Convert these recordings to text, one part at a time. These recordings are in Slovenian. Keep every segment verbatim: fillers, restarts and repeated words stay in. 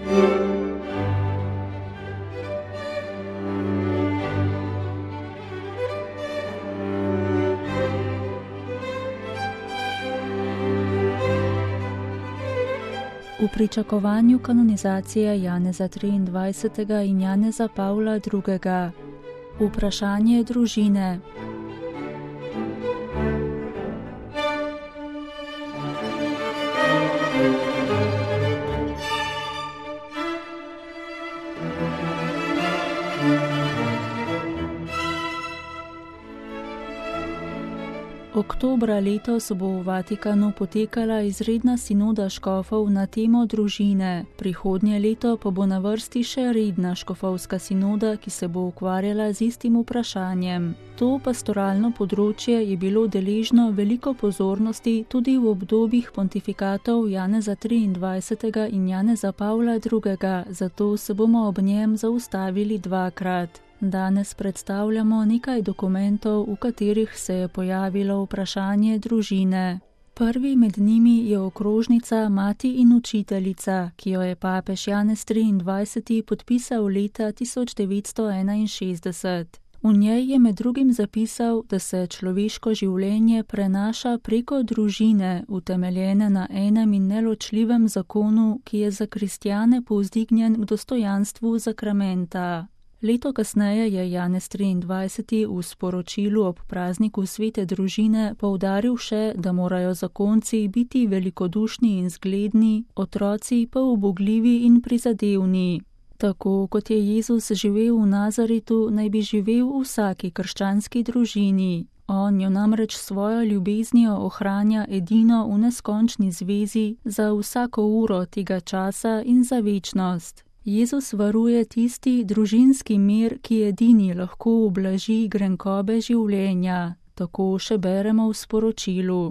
V pričakovanju kanonizacije Janeza triindvajsetega in Janeza Pavla drugega. Vprašanje družine. Oktobra letos bo v Vatikanu potekala izredna sinoda škofov na temo družine, prihodnje leto pa bo na vrsti še redna škofovska sinoda, ki se bo ukvarjala z istim vprašanjem. To pastoralno področje je bilo deležno veliko pozornosti tudi v obdobjih pontifikatov Janeza triindvajsetega in Janeza Pavla drugega, zato se bomo ob njem zaustavili dvakrat. Danes predstavljamo nekaj dokumentov, v katerih se je pojavilo vprašanje družine. Prvi med njimi je okrožnica Mati in učiteljica, ki jo je papež Janez triindvajseti podpisal leta tisoč devetsto enainšestdeset. V njej je med drugim zapisal, da se človeško življenje prenaša preko družine, utemeljene na enem in neločljivem zakonu, ki je za kristjane povzdignjen k dostojanstvu sakramenta. Leto kasneje je Janez triindvajseti v sporočilu ob prazniku svete družine poudaril še, da morajo zakonci biti velikodušni in zgledni, otroci pa ubogljivi in prizadevni. Tako kot je Jezus živel v Nazaretu, naj bi živel v vsaki krščanski družini. On jo namreč svojo ljubeznijo ohranja edino v neskončni zvezi za vsako uro tega časa in za večnost. Jezus varuje tisti družinski mir, ki edini lahko ublaži grenkobe življenja. Tako še beremo v sporočilu.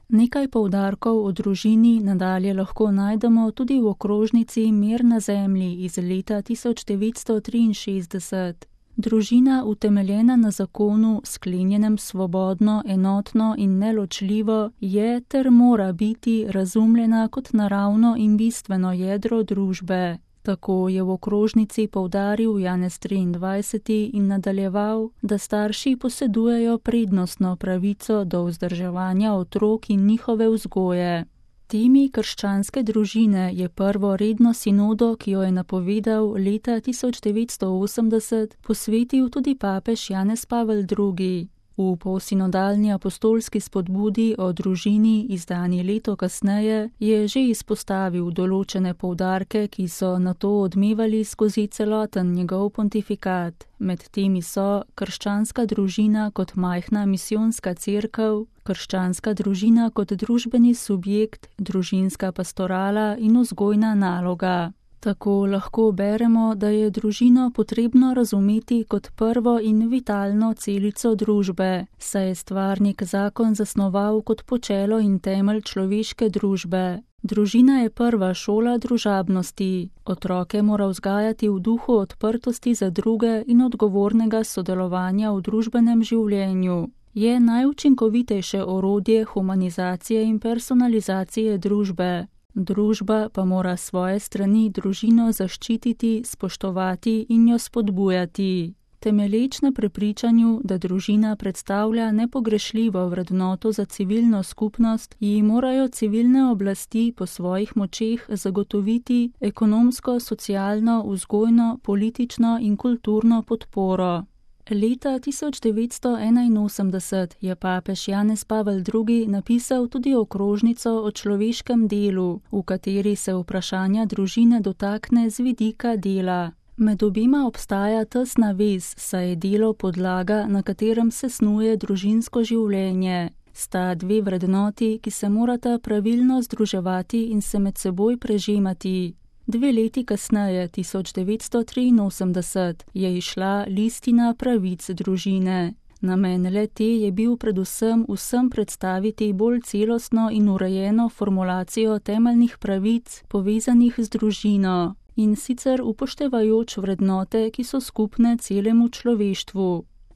Nekaj poudarkov o družini nadalje lahko najdemo tudi v okrožnici Mir na zemlji iz leta tisoč devetsto triinšestdeset. Družina, utemeljena na zakonu, sklenjenem svobodno, enotno in neločljivo, je ter mora biti razumljena kot naravno in bistveno jedro družbe. Tako je v okrožnici poudaril Janez triindvajseti in nadaljeval, da starši posedujejo prednostno pravico do vzdrževanja otrok in njihove vzgoje. Temi krščanske družine je prvo redno sinodo, ki jo je napovedal leta tisoč devetsto osemdeset, posvetil tudi papež Janez Pavel drugi. V polsinodalni apostolski spodbudi o družini, izdani leto kasneje, je že izpostavil določene poudarke, ki so nato odmevali skozi celoten njegov pontifikat. Med temi so krščanska družina kot majhna misijonska cerkev, krščanska družina kot družbeni subjekt, družinska pastorala in vzgojna naloga. Tako lahko beremo, da je družino potrebno razumeti kot prvo in vitalno celico družbe, saj je stvarnik zakon zasnoval kot počelo in temelj človeške družbe. Družina je prva šola družabnosti. Otroke mora vzgajati v duhu odprtosti za druge in odgovornega sodelovanja v družbenem življenju. Je najučinkovitejše orodje humanizacije in personalizacije družbe. Družba pa mora svoje strani družino zaščititi, spoštovati in jo spodbujati. Temelječ na prepričanju, da družina predstavlja nepogrešljivo vrednoto za civilno skupnost, ji morajo civilne oblasti po svojih močeh zagotoviti ekonomsko, socialno, vzgojno, politično in kulturno podporo. Leta tisoč devetsto enainosemdeset je papež Janez Pavel drugi napisal tudi okrožnico o človeškem delu, v kateri se vprašanja družine dotakne z vidika dela. Med obima obstaja tesna vez, saj je delo podlaga, na katerem se snuje družinsko življenje. Sta dve vrednoti, ki se morata pravilno združevati in se med seboj prežemati. Dve leti kasneje, tisoč devetsto triinosemdeset, je izšla listina pravic družine. Namen le-te je bil predvsem vsem predstaviti bolj celostno in urejeno formulacijo temeljnih pravic, povezanih z družino, in sicer upoštevajoč vrednote, ki so skupne celemu človeštvu.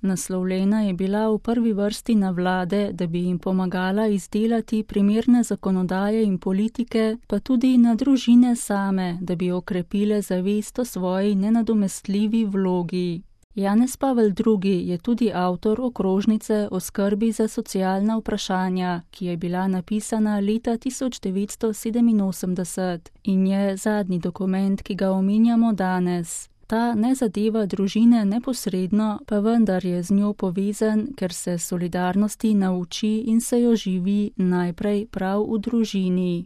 Naslovljena je bila v prvi vrsti na vlade, da bi jim pomagala izdelati primerne zakonodaje in politike, pa tudi na družine same, da bi okrepile zavest o svoji nenadomestljivi vlogi. Janez Pavel drugi je tudi avtor okrožnice o skrbi za socialna vprašanja, ki je bila napisana leta tisoč devetsto sedeminosemdeset in je zadnji dokument, ki ga omenjamo danes. Ta ne zadeva družine neposredno, pa vendar je z njo povezan, ker se solidarnosti nauči in se jo živi najprej prav v družini.